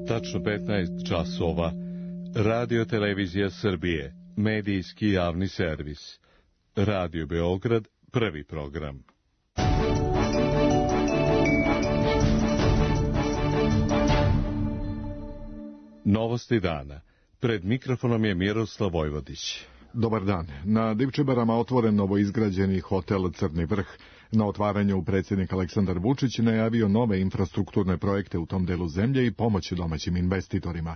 Tačno 15 časova. Radio Televizija Srbije. Medijski javni servis. Radio Beograd, prvi program. Novosti dana. Pred mikrofonom je Miroslav Vojvodić. Dobar dan. Na Divčibarama otvoren novoizgrađeni hotel Crni vrh. Na otvaranju predsjednik Aleksandar Vučić najavio nove infrastrukturne projekte u tom delu zemlje i pomoć domaćim investitorima.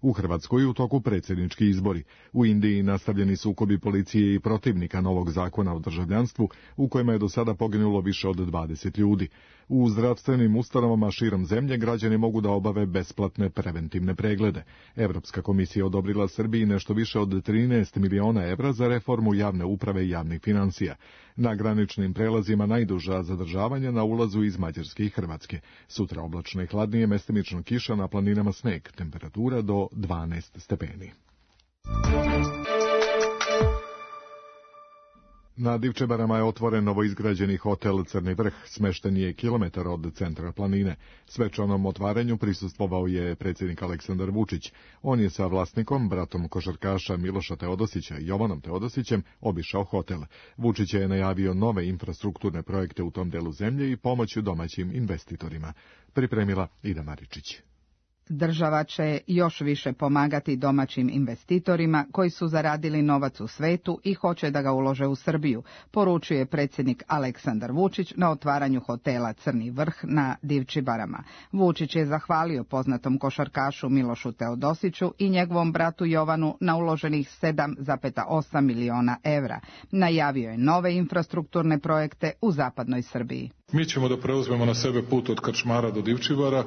U Hrvatskoj u toku predsjednički izbori. U Indiji nastavljeni sukobi policije i protivnika novog zakona o državljanstvu, u kojima je do sada poginulo više od 20 ljudi. U zdravstvenim ustanovama širom zemlje građani mogu da obave besplatne preventivne preglede. Evropska komisija odobrila Srbiji nešto više od 13 miliona evra za reformu javne uprave i javnih financija. Na graničnim prelazima najduža zadržavanja na ulazu iz Mađarske i Hrvatske. Sutra oblačno i hladnije, mestimično kiša, na planinama sneg, temperatura do 12 stepeni. Na Divčebarama je otvoren novoizgrađeni hotel Crni vrh, smešten je kilometar od centra planine. Svečanom otvaranju prisustvovao je predsjednik Aleksandar Vučić. On je sa vlasnikom, bratom košarkaša Miloša Teodosića i Jovanom Teodosićem, obišao hotel. Vučić je najavio nove infrastrukturne projekte u tom delu zemlje i pomoć domaćim investitorima. Pripremila Ida Maričić. Država će još više pomagati domaćim investitorima koji su zaradili novac u svetu i hoće da ga ulože u Srbiju, poručuje predsjednik Aleksandar Vučić na otvaranju hotela Crni vrh na Divčibarama. Vučić je zahvalio poznatom košarkašu Milošu Teodosiću i njegovom bratu Jovanu na uloženih 7,8 miliona evra. Najavio je nove infrastrukturne projekte u zapadnoj Srbiji. Mi ćemo da preuzmemo na sebe put od Krčmara do Divčibara.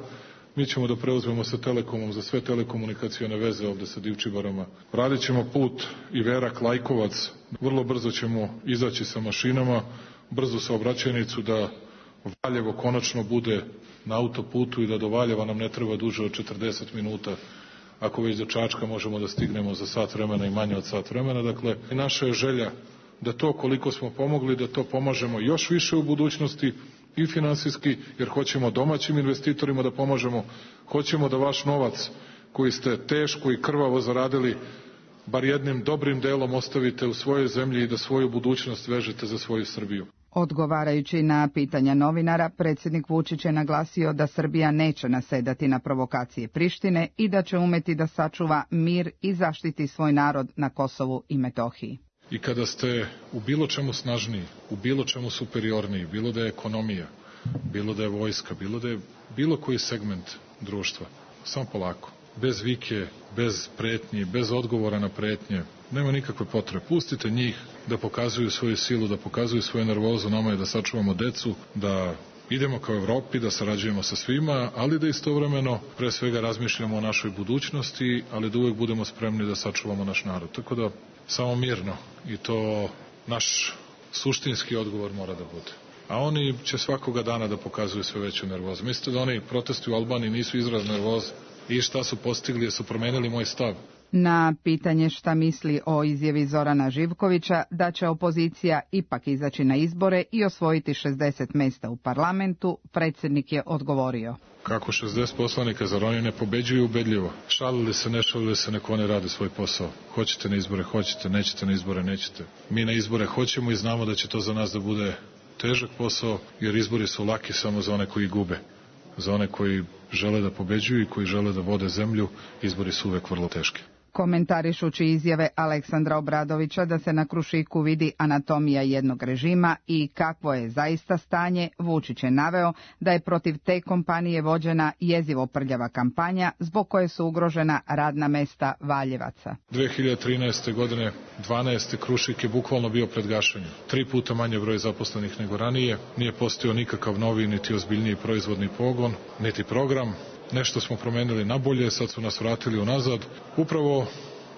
Mi ćemo da preuzmemo sa Telekomom za sve telekomunikacione veze ovde sa Divčibarama. Radit ćemo put Iverak-Lajkovac. Vrlo brzo ćemo izaći sa mašinama, brzu saobraćajnicu da Valjevo konačno bude na autoputu i da do Valjeva nam ne treba duže od 40 minuta. Ako već do Čačka možemo da stignemo za sat vremena i manje od sat vremena. Dakle, naša je želja da to koliko smo pomogli, da to pomažemo još više u budućnosti i finansijski, jer hoćemo domaćim investitorima da pomažemo, hoćemo da vaš novac koji ste teško i krvavo zaradili, bar jednim dobrim delom ostavite u svojoj zemlji i da svoju budućnost vežete za svoju Srbiju. Odgovarajući na pitanja novinara, predsjednik Vučić je naglasio da Srbija neće nasedati na provokacije Prištine i da će umeti da sačuva mir i zaštiti svoj narod na Kosovu i Metohiji. I kada ste u bilo čemu snažniji, u bilo čemu superiorniji, bilo da je ekonomija, bilo da je vojska, bilo da je bilo koji segment društva, samo polako, bez vike, bez pretnji, bez odgovora na pretnje, nema nikakve potrebe. Pustite njih da pokazuju svoju silu, da pokazuju svoju nervozu, nama je da sačuvamo decu, da idemo kao Evropi, da sarađujemo sa svima, ali da istovremeno pre svega razmišljamo o našoj budućnosti, ali da uvek budemo spremni da sačuvamo naš narod. Tako da samo mirno, i to naš suštinski odgovor mora da bude. A oni će svakoga dana da pokazuju sve veću nervozu. Mislite da oni protesti u Albaniji nisu izraz nervoze? I šta su postigli, jer su promenili moj stav? Na pitanje šta misli o izjavi Zorana Živkovića da će opozicija ipak izaći na izbore i osvojiti 60 mesta u parlamentu, predsjednik je odgovorio. Kako 60 poslanika, zar oni ne pobeđuju ubedljivo? Šalili se, ne šalili se, neko ne radi svoj posao. Hoćete na izbore, hoćete, nećete na izbore, nećete. Mi na izbore hoćemo i znamo da će to za nas da bude težak posao, jer izbori su laki samo za one koji gube. Za one koji žele da pobeđuju i koji žele da vode zemlju, izbori su uvek vrlo teški. Komentarišući izjave Aleksandra Obradovića da se na Krušiku vidi anatomija jednog režima i kakvo je zaista stanje, Vučić je naveo da je protiv te kompanije vođena jezivo prljava kampanja zbog koje su ugrožena radna mesta Valjevaca. 2013. godine 12. Krušik je bukvalno bio pred gašenjem. 3 puta manje broj zaposlenih nego ranije, nije postojao nikakav novi niti ozbiljniji proizvodni pogon, niti program. Nešto smo promenili na bolje, sad su nas vratili unazad. Upravo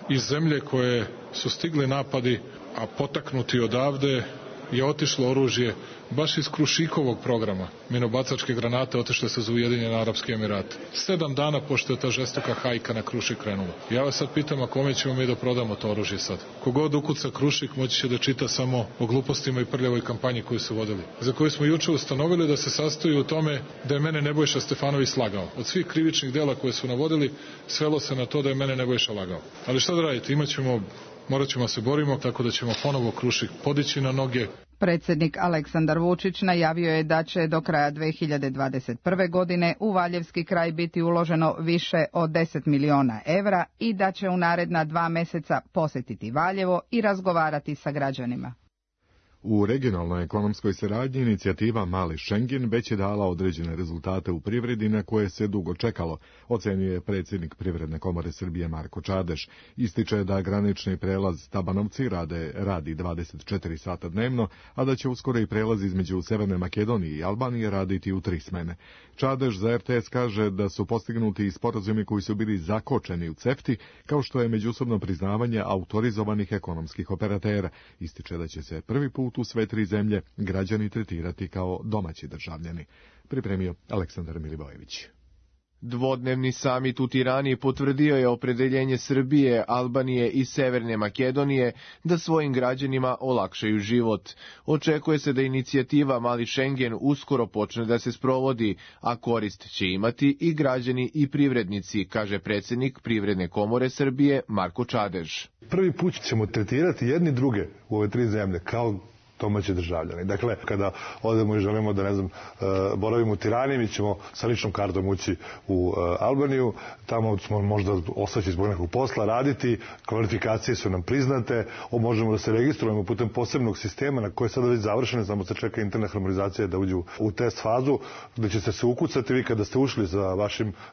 iz zemlje koje su stigli napadi, a potaknuti odavde, je otišlo oružje baš iz Krušikovog programa. Minobacačke granate otišle se za Ujedinjene Arapske Emirate. 7 dana pošto je ta žestoka hajka na Krušik krenula. Ja vas sad pitam, a kome ćemo mi da prodamo to oružje sad? Kogod ukuca Krušik moći će da čita samo o glupostima i prljavoj kampanji koju su vodili. Za koju smo juče ustanovili da se sastoji u tome da je mene Nebojša Stefanović slagao. Od svih krivičnih dela koje su navodili, svelo se na to da je mene Nebojša lagao. Ali šta da radite, morat ćemo se borimo, tako da ćemo ponovo Krušik podići na noge. Predsjednik Aleksandar Vučić najavio je da će do kraja 2021. godine u Valjevski kraj biti uloženo više od 10 miliona evra i da će u naredna 2 mjeseca posjetiti Valjevo i razgovarati sa građanima. U regionalnoj ekonomskoj saradnji inicijativa Mali Schengen već je dala određene rezultate u privredi na koje se dugo čekalo, ocenjuje predsjednik Privredne komore Srbije Marko Čadež. Ističe da granični prelaz Tabanovci radi 24 sata dnevno, a da će uskoro i prelaz između Severne Makedonije i Albanije raditi u 3 smene. Čadež za RTS kaže da su postignuti i sporazumi koji su bili zakočeni u CEFTA, kao što je međusobno priznavanje autorizovanih ekonomskih operatera. Ističe da će se prvi put u sve 3 zemlje građani tretirati kao domaći državljani. Pripremio Aleksandar Milivojević. Dvodnevni samit u Tirani potvrdio je opredeljenje Srbije, Albanije i Severne Makedonije da svojim građanima olakšaju život. Očekuje se da inicijativa Mali Schengen uskoro počne da se sprovodi, a korist će imati i građani i privrednici, kaže predsjednik Privredne komore Srbije Marko Čadež. Prvi put ćemo tretirati jedni druge u ove 3 zemlje kao domaći državljani. Dakle, kada odemo i želimo da, boravimo u Tirani, mi ćemo sa ličnom kartom ući u Albaniju, tamo smo možda ostati zbog nekog posla, raditi, kvalifikacije su nam priznate, možemo da se registrujemo putem posebnog sistema na koje je sada već završeno, samo se čeka interna harmonizacija da uđu u test fazu, gde ćete se ukucati vi kada ste ušli za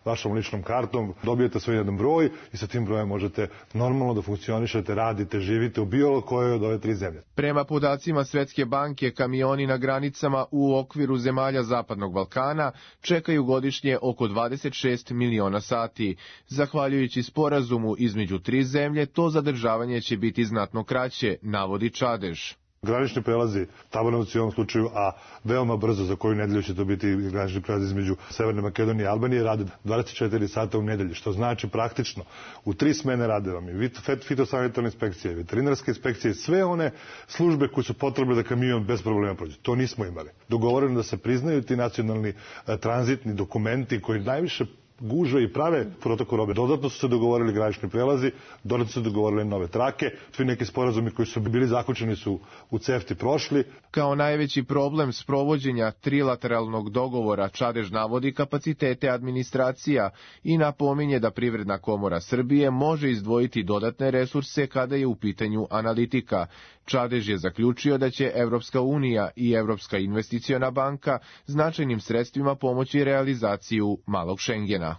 vašom ličnom kartom, dobijete svoj jedan broj i sa tim brojem možete normalno da funkcionišete, radite, živite u bilo kojoj od ove 3 zemlje. Prema podacima Svetske banke, kamioni na granicama u okviru zemalja Zapadnog Balkana čekaju godišnje oko 26 miliona sati. Zahvaljujući sporazumu između 3 zemlje, to zadržavanje će biti znatno kraće, navodi Čadež. Granični prelazi, Tabanovci u ovom slučaju, a veoma brzo za koju nedelju će to biti granični prelaz između Severne Makedonije i Albanije, rade 24 sata u nedelji, što znači praktično u 3 smene rade vam i fitosanitarne inspekcije, veterinarske inspekcije, sve one službe koje su potrebne da kamion bez problema prođe. To nismo imali. Dogovoreno da se priznaju ti nacionalni tranzitni dokumenti koji najviše guže i prave protokol robe. Dodatno su se dogovorili granični prelazi, dodatno su se dogovorili nove trake, svi neki sporazumi koji su bili zaključeni su u CEFTA prošli. Kao najveći problem sprovođenja trilateralnog dogovora Čadež navodi kapacitete administracija i napominje da Privredna komora Srbije može izdvojiti dodatne resurse kada je u pitanju analitika. Čadež je zaključio da će Evropska unija i Evropska investiciona banka značajnim sredstvima pomoći realizaciju Malog Schengena.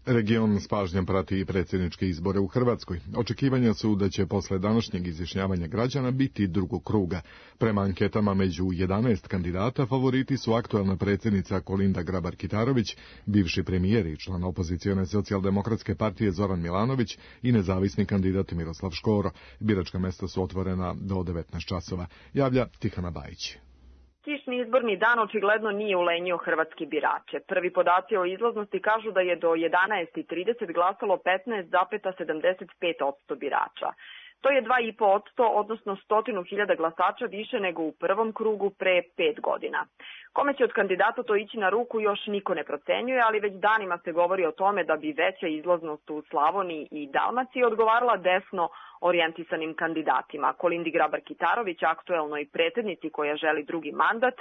Region s pažnjom prati i predsjedničke izbore u Hrvatskoj. Očekivanja su da će posle današnjeg izjašnjavanja građana biti drugog kruga. Prema anketama među 11 kandidata favoriti su aktuelna predsjednica Kolinda Grabar-Kitarović, bivši premijer i član opozicione socijaldemokratske partije Zoran Milanović i nezavisni kandidat Miroslav Škoro. Biračka mesta su otvorena do 19 časova. Javlja Tihana Bajić. Kišni izborni dan očigledno nije ulenjio hrvatski birače. Prvi podaci o izlaznosti kažu da je do 11:30 glasalo 15,75% birača. To je 2,5%, odnosno 100.000 glasača više nego u prvom krugu pre 5 godina. Kome će od kandidata to ići na ruku još niko ne procenjuje, ali već danima se govori o tome da bi veća izlaznost u Slavoniji i Dalmaciji odgovarala desno orijentisanim kandidatima. Kolindi Grabar-Kitarović, aktuelnoj predsjednici koja želi drugi mandat,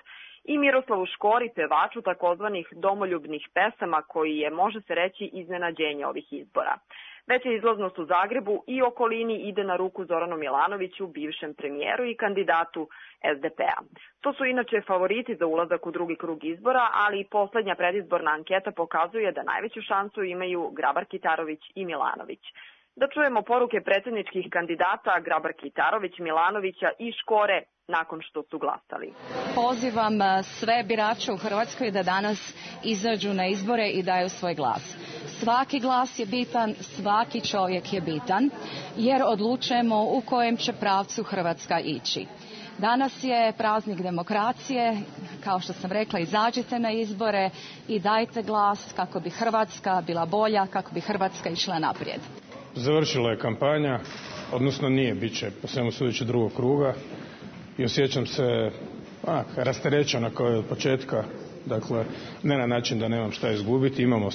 i Miroslavu Škori, pevaču takozvanih domoljubnih pesama koji je, može se reći, iznenađenje ovih izbora. Veća izlaznost u Zagrebu i okolini ide na ruku Zoranu Milanoviću, bivšem premijeru i kandidatu SDP-a. To su inače favoriti za ulazak u drugi krug izbora, ali i poslednja predizborna anketa pokazuje da najveću šansu imaju Grabar-Kitarović i Milanović. Da čujemo poruke predsjedničkih kandidata Grabar-Kitarović, Milanovića i Škore nakon što su glasali. Pozivam sve birače u Hrvatskoj da danas izađu na izbore i daju svoj glas. Svaki glas je bitan, svaki čovjek je bitan, jer odlučujemo u kojem će pravcu Hrvatska ići. Danas je praznik demokracije, kao što sam rekla, izađite na izbore i dajte glas kako bi Hrvatska bila bolja, kako bi Hrvatska išla naprijed. Završila je kampanja, odnosno nije, bit će po svemu sudeći drugog kruga i osjećam se rasterećeno kao i od početka. Dakle, ne na način da nemam šta izgubiti, imamo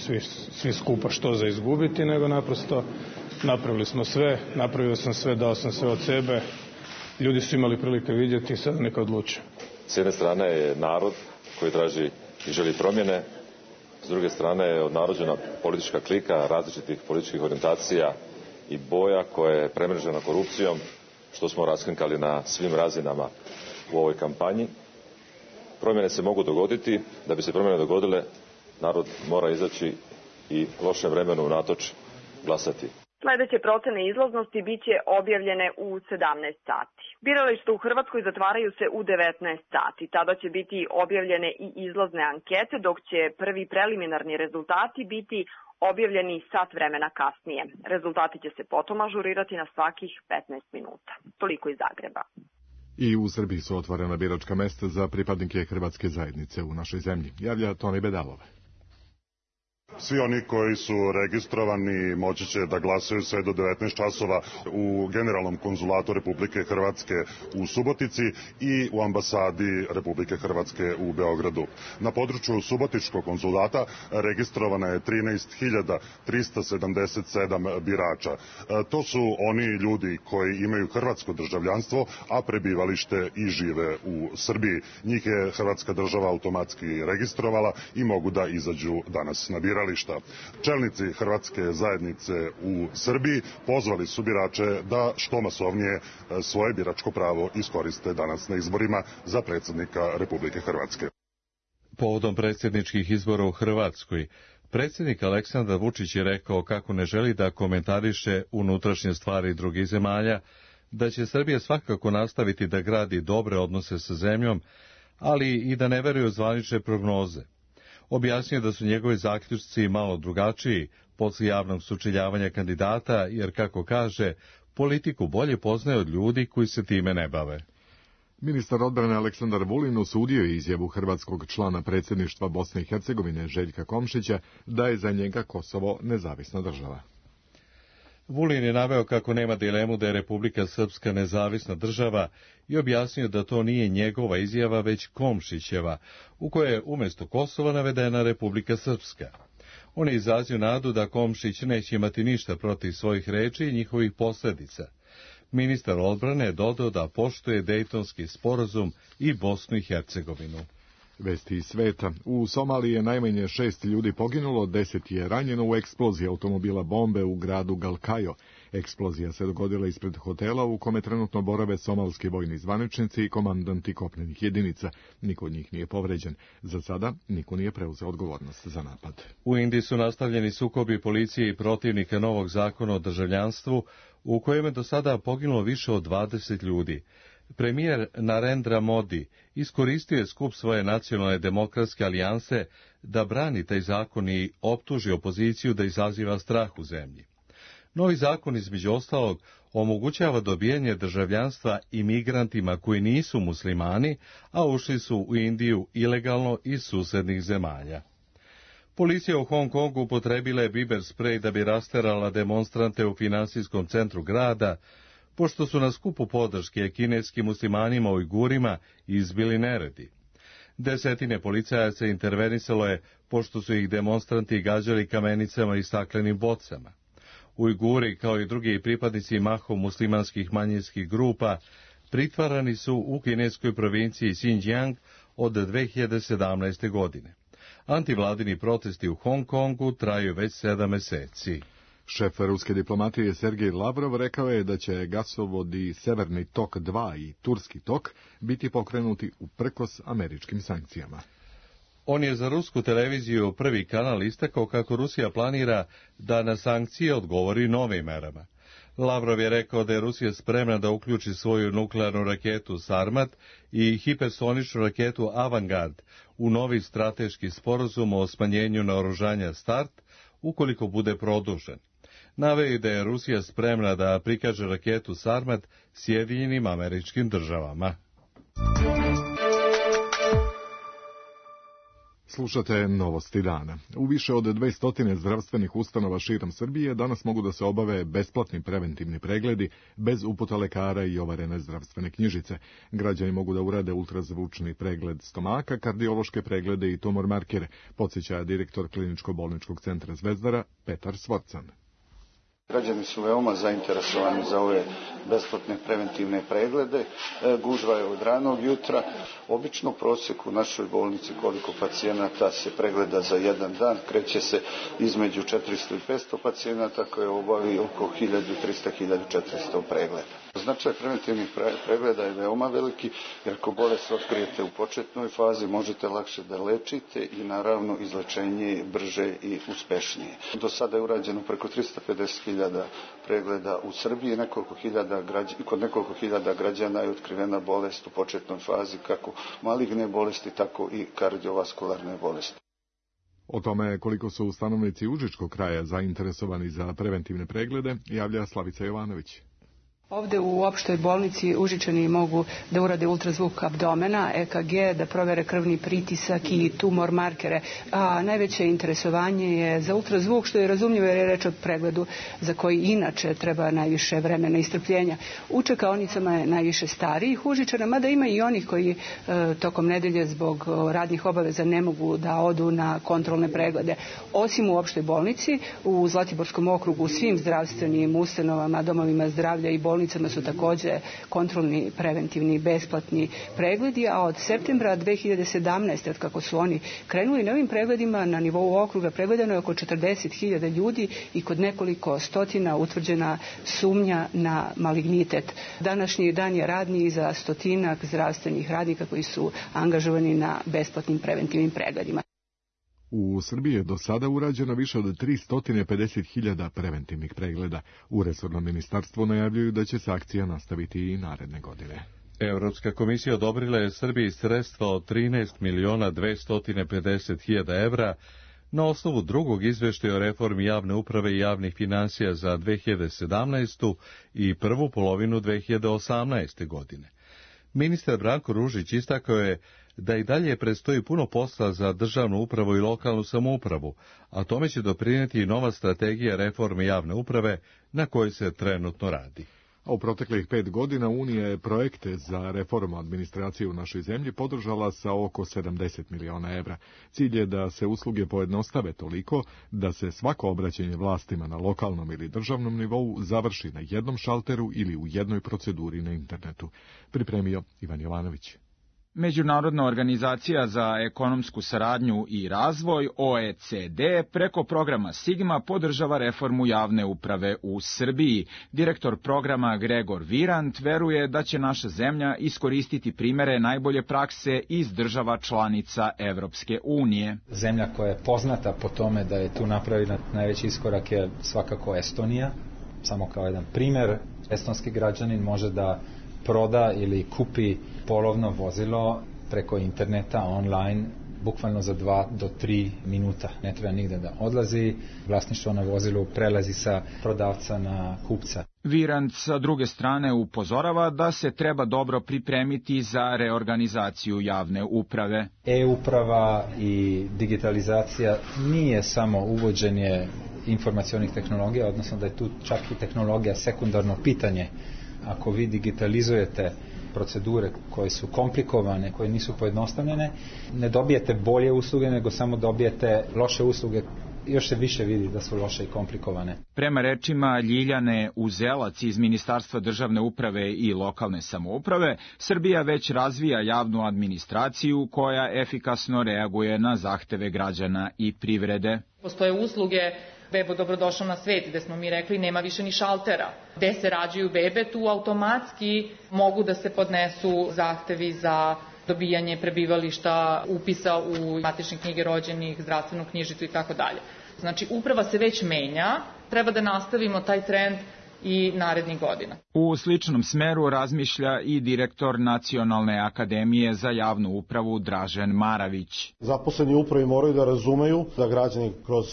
svi skupa što za izgubiti, nego naprosto napravili smo sve, napravio sam sve, dao sam sve od sebe, ljudi su imali prilike vidjeti i sad neka odluče. S jedne strane je narod koji traži i želi promjene, s druge strane je odnarođena politička klika različitih političkih orijentacija i boja koja je premrežena korupcijom, što smo raskrinkali na svim razinama u ovoj kampanji. Promjene se mogu dogoditi, da bi se promjene dogodile, narod mora izaći i lošem vremenu unatoč glasati. Sljedeće procene izlaznosti bit će objavljene u 17 sati. Birališta u Hrvatskoj zatvaraju se u 19 sati. Tada će biti objavljene i izlazne ankete, dok će prvi preliminarni rezultati biti objavljeni sat vremena kasnije. Rezultati će se potom ažurirati na svakih 15 minuta. Toliko iz Zagreba. I u Srbiji su otvorena biračka mesta za pripadnike hrvatske zajednice u našoj zemlji, javlja Toni Bedalov. Svi oni koji su registrovani moći će da glasaju sve do 19 časova u Generalnom konzulatu Republike Hrvatske u Subotici i u ambasadi Republike Hrvatske u Beogradu. Na području Subotičkog konzulata registrovana je 13.377 birača. To su oni ljudi koji imaju hrvatsko državljanstvo, a prebivalište i žive u Srbiji. Njih je Hrvatska država automatski registrovala i mogu da izađu danas na biralište. Čelnici hrvatske zajednice u Srbiji pozvali su birače da što masovnije svoje biračko pravo iskoriste danas na izborima za predsjednika Republike Hrvatske. Povodom predsjedničkih izbora u Hrvatskoj, predsjednik Aleksandar Vučić je rekao kako ne želi da komentariše unutrašnje stvari drugih zemalja, da će Srbija svakako nastaviti da gradi dobre odnose sa zemljom, ali i da ne veruje u zvanične prognoze. Objasnio da su njegovi zaključci malo drugačiji poslije javnog sučeljavanja kandidata, jer, kako kaže, politiku bolje poznaje od ljudi koji se time ne bave. Ministar odbrane Aleksandar Vulin osudio je izjavu hrvatskog člana predsjedništva Bosne i Hercegovine Željka Komšića da je za njega Kosovo nezavisna država. Vulin je naveo kako nema dilemu da je Republika Srpska nezavisna država i objasnio da to nije njegova izjava, već Komšićeva, u kojoj je umjesto Kosova navedena Republika Srpska. On je izrazio nadu da Komšić neće imati ništa protiv svojih reči i njihovih posljedica. Ministar odbrane je dodao da poštuje Dejtonski sporazum i Bosnu i Hercegovinu. Vesti iz sveta. U Somaliji je najmanje 6 ljudi poginulo, 10 je ranjeno u eksploziji automobila bombe u gradu Galkayo. Eksplozija se dogodila ispred hotela u kome trenutno borave somalski vojni zvaničnici i komandanti kopnenih jedinica. Niko od njih nije povređen. Za sada niko nije preuzeo odgovornost za napad. U Indiji su nastavljeni sukobi policije i protivnika novog zakona o državljanstvu, u kojem je do sada poginulo više od 20 ljudi. Premijer Narendra Modi iskoristio je skup svoje nacionalne demokratske alijanse da brani taj zakon i optuži opoziciju da izaziva strah u zemlji. Novi zakon, između ostalog, omogućava dobijanje državljanstva imigrantima koji nisu muslimani, a ušli su u Indiju ilegalno iz susednih zemalja. Policija u Hong Kongu upotrebila je biber sprej da bi rasterala demonstrante u finansijskom centru grada, pošto su na skupu podrške kineskim muslimanima Ujgurima izbili neredi. Desetine policajaca intervenisalo je, pošto su ih demonstranti gađali kamenicama i staklenim bocama. Ujguri, kao i drugi pripadnici mahom muslimanskih manjinskih grupa, pritvarani su u kineskoj provinciji Xinjiang od 2017. godine. Antivladini protesti u Hong Kongu traju već 7 meseci. Šef ruske diplomatije Sergej Lavrov rekao je da će gasovodi Severni tok 2 i Turski tok biti pokrenuti uprkos američkim sankcijama. On je za rusku televiziju Prvi kanal istakao kako Rusija planira da na sankcije odgovori novim merama. Lavrov je rekao da je Rusija spremna da uključi svoju nuklearnu raketu Sarmat i hipersoničnu raketu Avangard u novi strateški sporazum o smanjenju naoružanja START, ukoliko bude produžen. Naveo je da je Rusija spremna da prikaže raketu Sarmat Sjedinjenim Američkim Državama. Slušate Novosti dana. U više od 200 zdravstvenih ustanova širom Srbije danas mogu da se obave besplatni preventivni pregledi bez uputa lekara i overene zdravstvene knjižice. Građani mogu da urade ultrazvučni pregled stomaka, kardiološke preglede i tumor markere, podsjeća direktor Kliničko-bolničkog centra Zvezdara Petar Svorcan. Građani su veoma zainteresovani za ove besplatne preventivne preglede. Gužva je od ranog jutra. Obično prosjek u našoj bolnici koliko pacijenata se pregleda za jedan dan kreće se između 400 i 500 pacijenata koje obavi oko 1300-1400 pregleda. Značaj preventivnih pregleda je veoma veliki, jer ako bolest otkrijete u početnoj fazi možete lakše da lečite i naravno izlečenje je brže i uspešnije. Do sada je urađeno preko 350.000 pregleda u Srbiji, kod nekoliko hiljada građana je otkrivena bolest u početnoj fazi, kako maligne bolesti, tako i kardiovaskularne bolesti. O tome koliko su stanovnici Užičkog kraja zainteresovani za preventivne preglede javlja Slavica Jovanović. Ovde u opštoj bolnici Užičani mogu da urade ultrazvuk abdomena, EKG, da provere krvni pritisak i tumor markere. A najveće interesovanje je za ultrazvuk, što je razumljivo jer je reč o pregledu za koji inače treba najviše vremena i strpljenja. U čekaonicama je najviše starijih Užičana, mada ima i onih koji tokom nedelje zbog radnih obaveza ne mogu da odu na kontrolne preglede. Osim u opštoj bolnici, u Zlatiborskom okrugu, u svim zdravstvenim ustanovama, domovima zdravlja i bolnicama su takođe kontrolni, preventivni, besplatni pregledi, a od septembra 2017. od kako su oni krenuli na ovim pregledima, na nivou okruga pregledano je oko 40.000 ljudi i kod nekoliko stotina utvrđena sumnja na malignitet. Današnji dan je radni za stotinak zdravstvenih radnika koji su angažovani na besplatnim preventivnim pregledima. U Srbiji je do sada urađeno više od 350.000 preventivnih pregleda. U resornom ministarstvu najavljuju da će se akcija nastaviti i naredne godine. Europska komisija odobrila je Srbiji sredstva od 13.250.000 evra na osnovu drugog izveštaja o reformi javne uprave i javnih finansija za 2017. i prvu polovinu 2018. godine. Ministar Branko Ružić istakao je da i dalje predstoji puno posla za državnu upravu i lokalnu samoupravu, a tome će doprinijeti i nova strategija reforme javne uprave na kojoj se trenutno radi. A u proteklih 5 godina Unija je projekte za reformu administracije u našoj zemlji podržala sa oko 70 miliona evra. Cilj je da se usluge pojednostave toliko da se svako obraćanje vlastima na lokalnom ili državnom nivou završi na jednom šalteru ili u jednoj proceduri na internetu. Pripremio Ivan Jovanović. Međunarodna organizacija za ekonomsku saradnju i razvoj, OECD, preko programa Sigma podržava reformu javne uprave u Srbiji. Direktor programa Gregor Virant veruje da će naša zemlja iskoristiti primere najbolje prakse iz država članica Evropske unije. Zemlja koja je poznata po tome da je tu napravila najveći iskorak je svakako Estonija. Samo kao jedan primer, estonski građanin može da proda ili kupi polovno vozilo preko interneta, online, bukvalno za 2 do 3 minuta. Ne treba nigde da odlazi, vlasništvo na vozilu prelazi sa prodavca na kupca. Virant sa druge strane upozorava da se treba dobro pripremiti za reorganizaciju javne uprave. E-uprava i digitalizacija nije samo uvođenje informacionih tehnologija, odnosno da je tu čak i tehnologija sekundarno pitanje. Ako vi digitalizujete procedure koje su komplikovane, koje nisu pojednostavljene, ne dobijete bolje usluge, nego samo dobijete loše usluge. Još se više vidi da su loše i komplikovane. Prema rečima Ljiljane Uzelac iz Ministarstva državne uprave i lokalne samouprave, Srbija već razvija javnu administraciju koja efikasno reaguje na zahteve građana i privrede. Postoje usluge Bebo dobrodošao na svet, gde smo mi rekli nema više ni šaltera. Gde se rađaju bebe, tu automatski mogu da se podnesu zahtevi za dobijanje prebivališta, upisa u matične knjige rođenih, zdravstvenu knjižicu i tako dalje. Znači, uprava se već menja, treba da nastavimo taj trend i narednih godina. U sličnom smeru razmišlja i direktor Nacionalne akademije za javnu upravu Dražen Maravić. Zaposleni u upravi moraju da razumeju da građani kroz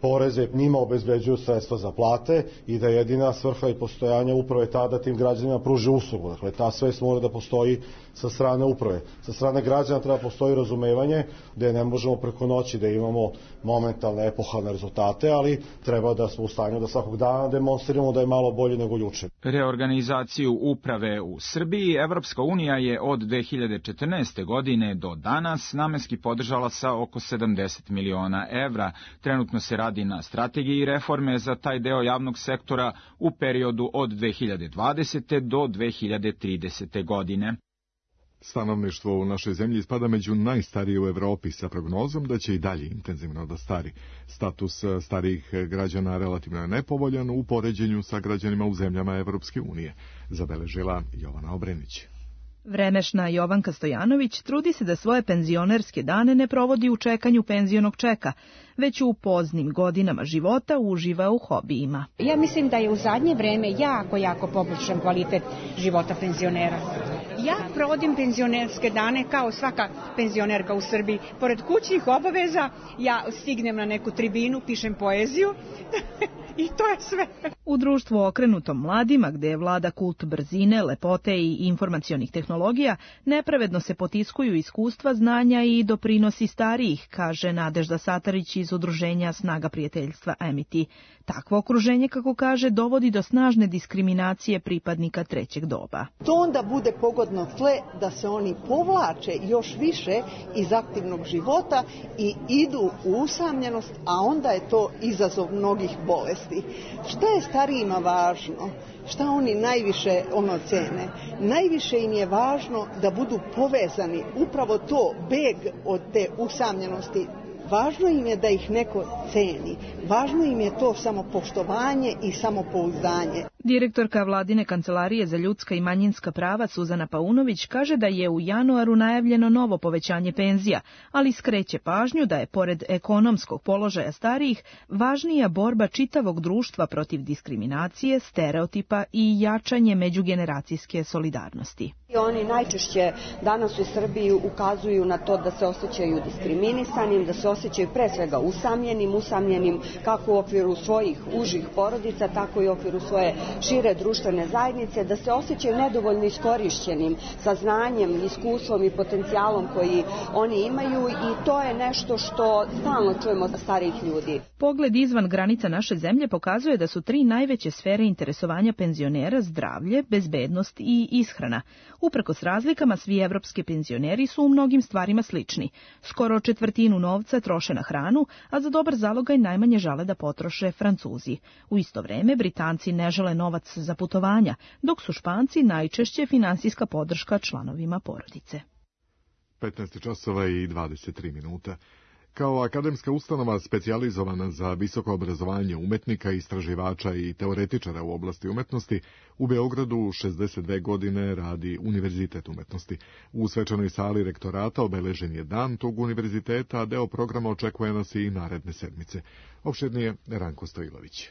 poreze njima obezbeđuju sredstva za plate i da jedina svrha i postojanja uprave ta da tim građanima pruže uslugu. Dakle, ta svest mora da postoji sa strane uprave. Sa strane građana treba postoji razumevanje da ne možemo preko noći da imamo momentalne epohalne rezultate, ali treba da smo u stanju da svakog dana demonstriramo da je malo bolje nego juče. Reorganizaciju uprave u Srbiji Evropska unija je od 2014. godine do danas namenski podržala sa oko 70 miliona evra. Trenutno se radi na strategiji reforme za taj deo javnog sektora u periodu od 2020. do 2030. godine. Stanovništvo u našoj zemlji spada među najstarije u Evropi sa prognozom da će i dalje intenzivno da stari. Status starijih građana relativno je nepovoljan u poređenju sa građanima u zemljama Evropske unije, zabeležila Jovana Obrenić. Vremešna Jovanka Stojanović trudi se da svoje penzionerske dane ne provodi u čekanju penzionog čeka, već u poznim godinama života uživa u hobijima. Ja mislim da je u zadnje vreme jako poboljšan kvalitet života penzionera. Ja provodim penzionerske dane kao svaka penzionerka u Srbiji. Pored kućnih obaveza ja stignem na neku tribinu, pišem poeziju i to je sve. U društvu okrenutom mladima, gde je vlada kult brzine, lepote i informacionih tehnologija, nepravedno se potiskuju iskustva, znanja i doprinosi starijih, kaže Nadežda Satarić iz udruženja Snaga prijateljstva Amity. Takvo okruženje, kako kaže, dovodi do snažne diskriminacije pripadnika trećeg doba. To onda bude pogodno tle da se oni povlače još više iz aktivnog života i idu u usamljenost, a onda je to izazov mnogih bolesti. Šta je starijima važno? Šta oni najviše cene? Najviše im je važno da budu povezani, upravo to, beg od te usamljenosti. Važno im je da ih neko ceni. Važno im je to samopoštovanje i samopouzdanje. Direktorka Vladine kancelarije za ljudska i manjinska prava Suzana Paunović kaže da je u januaru najavljeno novo povećanje penzija, ali skreće pažnju da je pored ekonomskog položaja starijih važnija borba čitavog društva protiv diskriminacije, stereotipa i jačanje međugeneracijske solidarnosti. Oni najčešće danas u Srbiji ukazuju na to da se osjećaju diskriminisanim, da se osjećaju pre svega usamljenim kako u okviru svojih užih porodica, tako i u okviru svoje šire društvene zajednice, da se osjećaju nedovoljno iskorišćenim sa znanjem, iskustvom i potencijalom koji oni imaju i to je nešto što stalno čujemo od starijih ljudi. Pogled izvan granica naše zemlje pokazuje da su 3 najveće sfere interesovanja penzionera zdravlje, bezbednost i ishrana. Uprkos razlikama, svi evropski penzioneri su u mnogim stvarima slični. Skoro 1/4 novca troše na hranu, a za dobar zalogaj najmanje žele da potroše Francuzi. U isto vreme, Britanci ne žele novac za putovanja, dok su Španci najčešće finansijska podrška članovima porodice. 15:23. Kao akademska ustanova specijalizovana za visoko obrazovanje umetnika, istraživača i teoretičara u oblasti umetnosti, u Beogradu 62 godine radi Univerzitet umetnosti. U svečanoj sali rektorata obeležen je dan tog univerziteta, a deo programa očekuje nas i naredne sedmice. Opširnije Ranko Stojilović.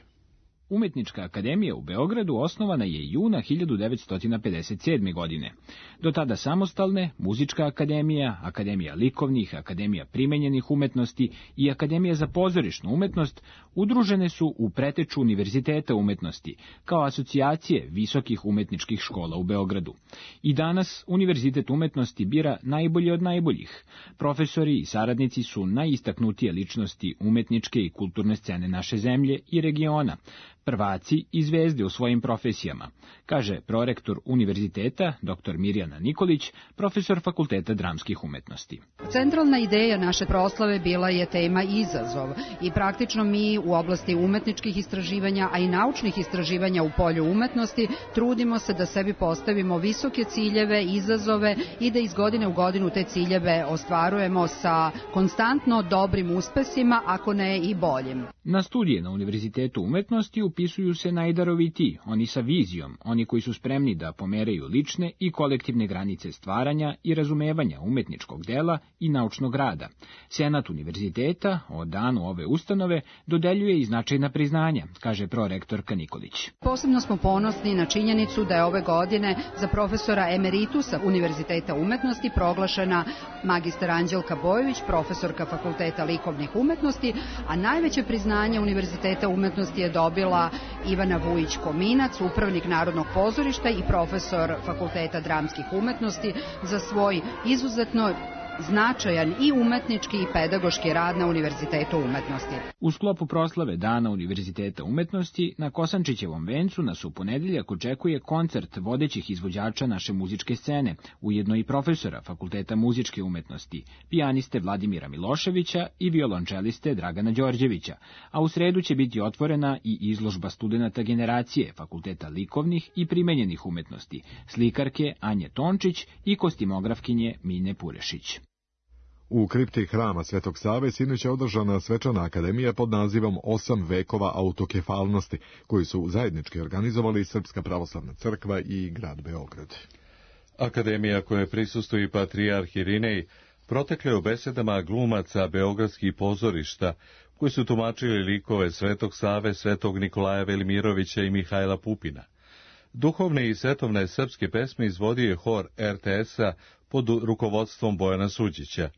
Umetnička akademija u Beogradu osnovana je juna 1957. godine. Do tada samostalne, Muzička akademija, Akademija likovnih, Akademija primenjenih umetnosti i Akademija za pozorišnu umetnost udružene su u preteču Univerziteta umetnosti, kao asocijacije visokih umetničkih škola u Beogradu. I danas Univerzitet umetnosti bira najbolje od najboljih. Profesori i saradnici su najistaknutije ličnosti umetničke i kulturne scene naše zemlje i regiona, prvaci i zvezde u svojim profesijama, kaže prorektor univerziteta, dr. Mirjana Nikolić, profesor Fakulteta dramskih umetnosti. Centralna ideja naše proslave bila je tema izazov i praktično mi u oblasti umetničkih istraživanja, a i naučnih istraživanja u polju umetnosti trudimo se da sebi postavimo visoke ciljeve, izazove i da iz godine u godinu te ciljeve ostvarujemo sa konstantno dobrim uspesima, ako ne i boljim. Na studije na Univerzitetu umetnosti u upisuju se najdarovitiji, oni sa vizijom, oni koji su spremni da pomeraju lične i kolektivne granice stvaranja i razumevanja umetničkog dela i naučnog rada. Senat univerziteta o danu ove ustanove dodeljuje i značajna priznanja, kaže prorektorka Nikolić. Posebno smo ponosni na činjenicu da je ove godine za profesora emeritusa Univerziteta umetnosti proglašena magistar Anđelka Bojović, profesorka Fakulteta likovnih umetnosti, a najveće priznanje Univerziteta umetnosti je dobila Ivana Vujić-Kominac, upravnik Narodnog pozorišta i profesor Fakulteta dramskih umetnosti za svoj izuzetno značajan i umetnički i pedagoški rad na Univerzitetu umetnosti. U sklopu proslave Dana Univerziteta umetnosti na Kosančićevom vencu nas u ponedeljak očekuje koncert vodećih izvođača naše muzičke scene, ujedno i profesora Fakulteta muzičke umetnosti, pijaniste Vladimira Miloševića i violončeliste Dragana Đorđevića, a u sredu će biti otvorena i izložba studenata generacije Fakulteta likovnih i primenjenih umetnosti, slikarke Anje Tončić i kostimografkinje Mine Purešić. U kripti hrama Svetog Save sinoć je održana svečana akademija pod nazivom 8 vekova autokefalnosti, koju su zajednički organizovali Srpska pravoslavna crkva i grad Beograd. Akademija koje prisustuje patrijarh Irinej protekle u besedama glumaca beogradskih pozorišta, koji su tumačili likove Svetog Save, Svetog Nikolaja Velimirovića i Mihajla Pupina. Duhovne i svetovne srpske pesme izvodio je hor RTS-a pod rukovodstvom Bojana Suđića.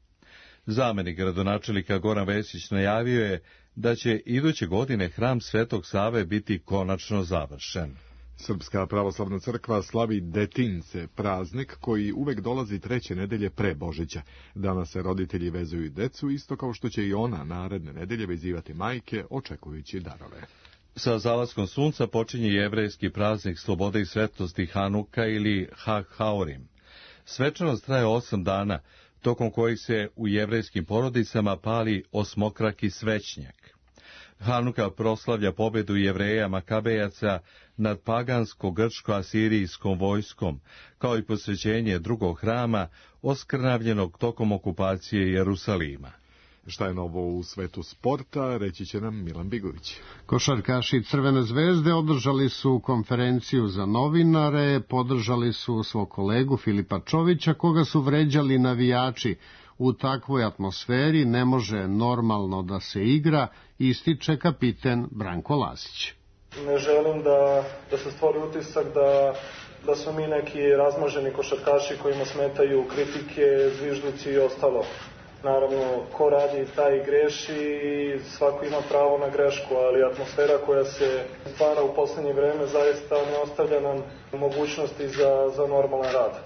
Zamenik gradonačelnika Goran Vesić najavio je da će iduće godine hram Svetog Save biti konačno završen. Srpska pravoslavna crkva slavi Detince, praznik koji uvek dolazi treće nedelje pre Božića. Danas se roditelji vezuju decu, isto kao što će i ona naredne nedelje vezivati majke, očekujući darove. Sa zalaskom sunca počinje jevrejski praznik slobode i svetlosti Hanuka ili Hag Haurim. Svečanost traje 8 dana, tokom kojih se u jevrejskim porodicama pali osmokraki svećnjak. Hanuka proslavlja pobedu Jevreja Makabejaca nad pagansko-grčko-asirijskom vojskom, kao i posvećenje drugog hrama oskrnavljenog tokom okupacije Jerusalima. Šta je novo u svetu sporta, reći će nam Milan Bigović. Košarkaši Crvene zvezde održali su konferenciju za novinare, podržali su svog kolegu Filipa Čovića, koga su vređali navijači. U takvoj atmosferi ne može normalno da se igra, ističe kapiten Branko Lasić. Ne želim da se stvori utisak da su mi neki razmaženi košarkaši kojima smetaju kritike, zvižduci i ostalo. Naravno, ko radi, taj greši i svako ima pravo na grešku, ali atmosfera koja se stvara u poslednje vreme zaista ne ostavlja nam mogućnosti za normalan rad.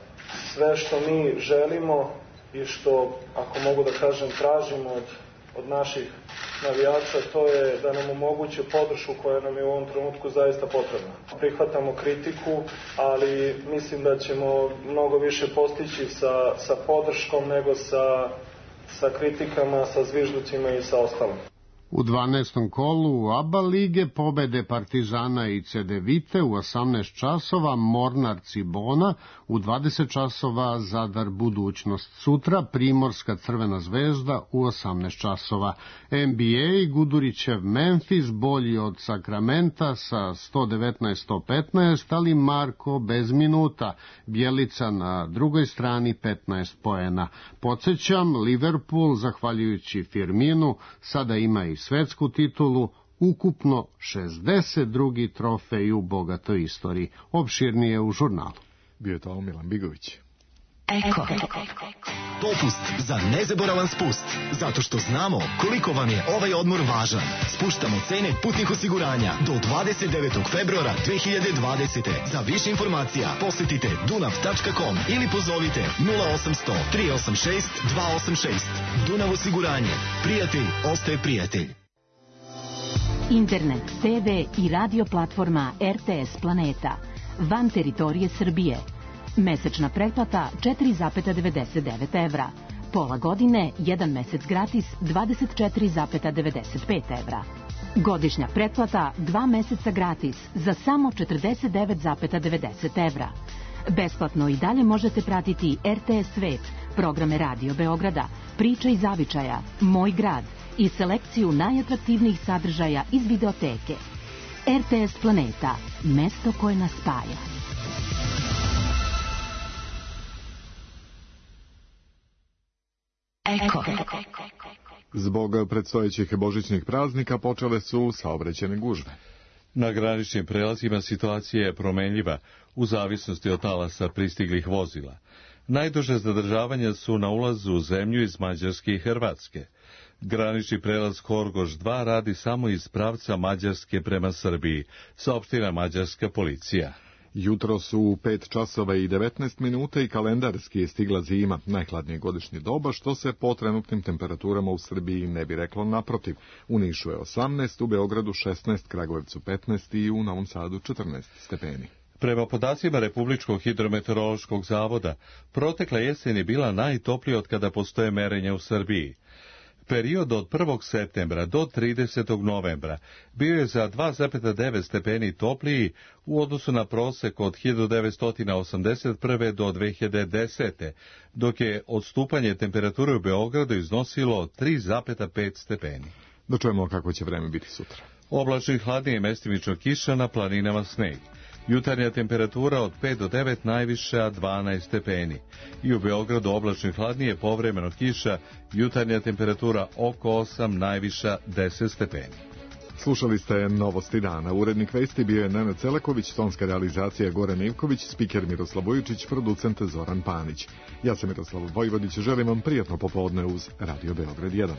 Sve što mi želimo i što, ako mogu da kažem, tražimo od naših navijača, to je da nam omoguće podršku koja nam je u ovom trenutku zaista potrebna. Prihvatamo kritiku, ali mislim da ćemo mnogo više postići sa podrškom nego sa kritikama, sa zvižducima i sa ostalim. U 12. kolu u ABA lige pobede Partizana i Cedevite u 18 časova, Mornar Cibona, u 20 časova Zadar Budućnost. Sutra Primorska Crvena zvezda u 18 časova. NBA Gudurićev Memphis bolji od Sakramenta sa 119-115, ali Marko bez minuta. Bjelica na drugoj strani 15 poena. Podsjećam, Liverpool, zahvaljujući Firminu, sada ima i svetsku titulu, ukupno 62. trofej u bogatoj istoriji. Opširnije u žurnalu. Bio je to Milan Bigović. Eko. Popust za nezaboravan spust. Zato što znamo koliko vam je ovaj odmor važan. Spuštamo cene putnih osiguranja do 29. februara 2020. Za više informacija posjetite dunav.com ili pozovite 0800 386 286. Dunav osiguranje. Prijatelj ostaje prijatelj. Internet, TV i radio platforma RTS Planeta. Van teritorije Srbije. Mesečna pretplata 4,99 evra. Pola godine, 1 mesec gratis 24,95 evra. Godišnja pretplata 2 meseca gratis za samo 49,90 evra. Besplatno i dalje možete pratiti RTS Svet, programe Radio Beograda, Priče iz zavičaja, Moj grad i selekciju najatraktivnijih sadržaja iz videoteke. RTS Planeta, mesto koje nas spaja. Eko. Zbog predstojećih božićnih praznika počele su saobraćajne gužve. Na graničnim prelazima situacija je promenljiva u zavisnosti od talasa pristiglih vozila. Najduže zadržavanja su na ulazu u zemlju iz Mađarske i Hrvatske. Granični prelaz Horgoš 2 radi samo iz pravca Mađarske prema Srbiji, saopštila mađarska policija. Jutro su u 5 časova i 19 minuta i kalendarski je stigla zima, najhladnije godišnje doba, što se po trenutnim temperaturama u Srbiji ne bi reklo naprotiv. U Nišu je 18, u Beogradu 16, Kragujevcu 15 i u Novom Sadu 14 stepeni. Prema podacima Republičkog hidrometeorološkog zavoda, protekla jesen je bila najtoplija od kada postoje merenja u Srbiji. Period od 1. septembra do 30. novembra bio je za 2,9 stepeni topliji u odnosu na prosek od 1981. do 2010. dok je odstupanje temperature u Beogradu iznosilo 3,5 stepeni. Da čujemo kako će vreme biti sutra. Oblačno i hladnije, mestimično kiša, na planinama sneg. Jutarnja temperatura od 5 do 9, najviša 12 stepeni. I u Beogradu oblačno i hladnije, povremeno kiša, jutarnja temperatura oko 8, najviša 10 stepeni. Slušali ste Novosti dana. Urednik vesti bio je Nenad Celaković, tonska realizacija Goran Ivković, spiker Miroslav Vujičić, producent Zoran Panić. Ja sam Miroslav Vojvodić, želim vam prijatno popodne uz Radio Beograd 1.